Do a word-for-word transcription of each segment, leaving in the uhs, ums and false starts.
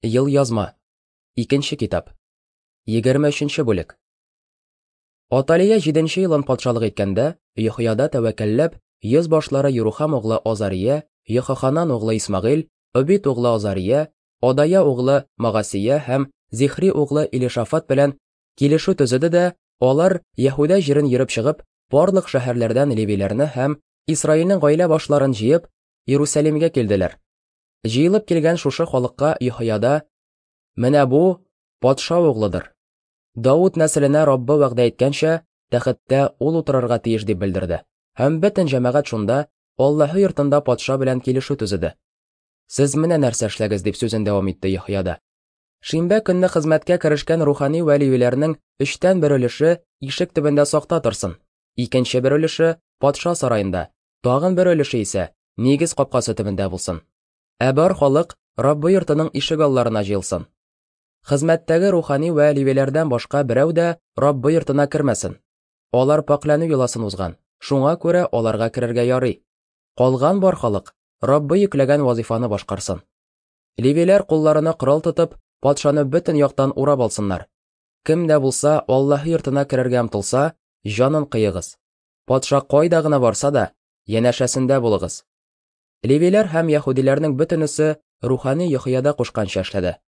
Елъязма. Икенче китап. Егерме өченче бүлек. Аталия җиденче елын патшалык иткәндә, Йөхияда тәвәккәлләп, йөз башлары Юрухам углы Азария, Йөхоханан углы Исмагыйль, Обид углы Азария, Адая углы Магасия һәм Зихри углы Илишафат белән килешү төзеде дә, алар Яһүдә җирен йөреп чыгып, барлык шәһәрләрдән левиләрне һәм Исраилнең гаилә башларын җыеп, Иерусалимгә килделәр. Җыелып килгән шушы халыкка Йөхияда: "Менә бу патша углыдыр. Давыт нәселенә Раббы вәгъдә иткәнчә, тәхеттә ул утырырга тиеш", дип белдерде. Һәм бөтен җәмәгать шунда Аллаһы йортында патша белән килешү төзеде. "Сез менә нәрсә эшләгез", дип сүзен дәвам итте Йөхияда. Шимбә көнне хезмәткә керешкән рухани вә левиләрнең өчтән бер өлеше ишек төбендә сакта торсын, икенче бер өлеше патша сараенда, тагын бер өлеше исә нигез капкасы төбендә булсын. Ә бар халык Раббы йортының ишек алларына җыелсын. Хезмәттәге рухани вә левиләрдән башка берәү дә Раббы йортына кермәсен. Алар пакьләнү йоласын узган, шуңа күрә аларга керергә ярый. Калган бар халык Раббы йөкләгән вазифаны башкарсын. Левиләр кулларына корал тотып, патшаны бөтен яктан урап алсыннар. Кем дә булса Аллаһы йортына керергә омтылса, җанын кыегыз. Патша кайда гына барса да, янәшәсендә булыгыз. Левиләр һәм яһүдиләрнең бөтенесе рухани Йөхияда кушканча эшләде.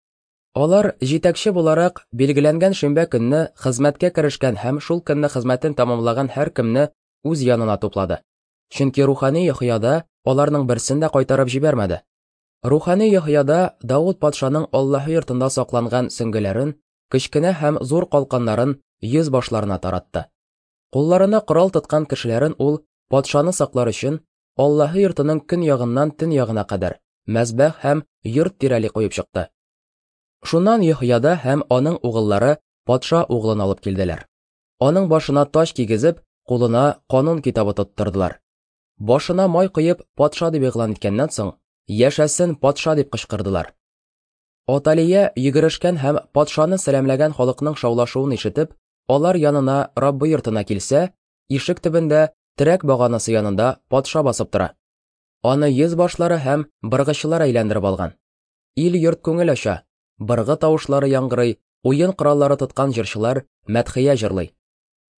Алар җитәкче буларак билгеләнгән шимбә көнне хезмәткә керешкән һәм шул көнне хезмәтен тәмамлаган һәркемне үз янына туплады. Чөнки рухани Йөхияда аларның берсен дә кайтарып җибәрмәде. Рухани Йөхияда Давыт патшаның Аллаһы йортында сакланган сөңгеләрен, кечкенә һәм зур калканнарын йөз башларына таратты. Кулларына корал тоткан кешеләрен ул патшаны саклар өчен Аллаһы йортының көн ягыннан төн ягына кадәр мәзбәх һәм йорт тирәли куеп чыкты. Шуннан Йөхияда һәм аның угыллары патша углын алып килделәр. Аның башына таҗ кигезеп, кулына канун китабы тоттырдылар. Башына май коеп, патша дип игълан иткәннән соң, "Яшәсен патша!" дип кычкырдылар. Аталия йөгерешкән һәм патшаны сәламләгән халыкның шаулашуын ишетеп, алар янына Раббы йортына килсә, ишек төбендә терәк баганасы янында патша басып тора. Аны йөз башлары һәм быргычылар әйләндереп алган. Ил йорт күңел ача, быргы тавышлары яңгырый, уен кораллары тоткан җырчылар мәдхия җырлый.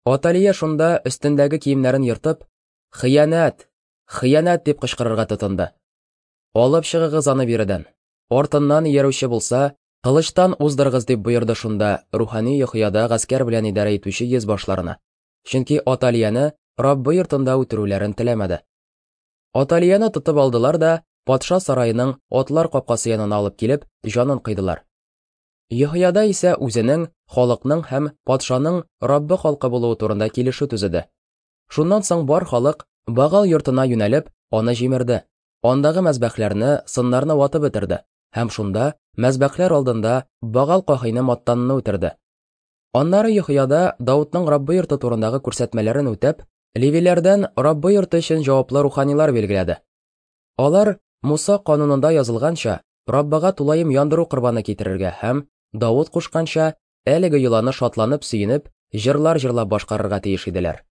Аталия шунда өстендәге киемнәрен ертып, "Хыянәт! Хыянәт!" дип кычкырырга тотынды. "Алып чыгыгыз аны биредән. Артыннан иярүче булса, кылычтан уздырыгыз", дип боерды шунда рухани Йөхияда гаскәр белән идарә итүче йөз башларына. Чөнки Аталияне Раббы йортында үтерүләрен теләмәде. Аталияны тотып алдылар да, патша сараеның атлар капкасы янына алып килеп, җанын кыйдылар. Йөхияда исә үзенең, халыкның һәм патшаның Раббы халкы булуы турында килешү төзеде. Шуннан соң бар халык Багал йортына юнәлеп, аны җимерде. Андагы мәзбәхләрне, сыннарны ватып бетерде һәм шунда мәзбәхләр алдында Багал каһине Маттанны үтерде. Аннары Йөхияда Давытның Раббы йорты турындагы күрсәтмәләрен үтәп, левиләрдән Раббы йорты өчен җаваплы руханилар билгеләде. Алар Муса канунында язылганча Раббыга тулаем яндыру корбаны китерергә һәм Давыт кушканча әлеге йоланы шатланып сөенеп, җырлар җырлап башкарырга тиеш иделәр.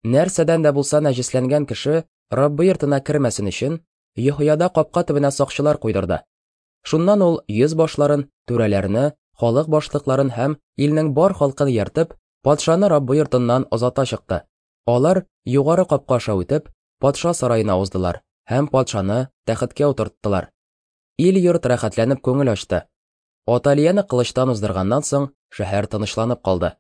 Нәрсәдән дә булса нәҗесләнгән кеше Раббы йортына кермәсен өчен Йөхияда капка төбенә сакчылар куйдырды. Шуннан ул йөз башларын, түрәләрне, халык башлыкларын һәм илнең бар халкын ияртеп, патшаны Раббы йортыннан озата чыкты. Алар югары капка аша үтеп, патша сараена уздылар һәм патшаны тәхеткә утырттылар. Ил йорт рәхәтләнеп күңел ачты. Аталияны кылычтан уздырганнан соң шәһәр тынычланып калды.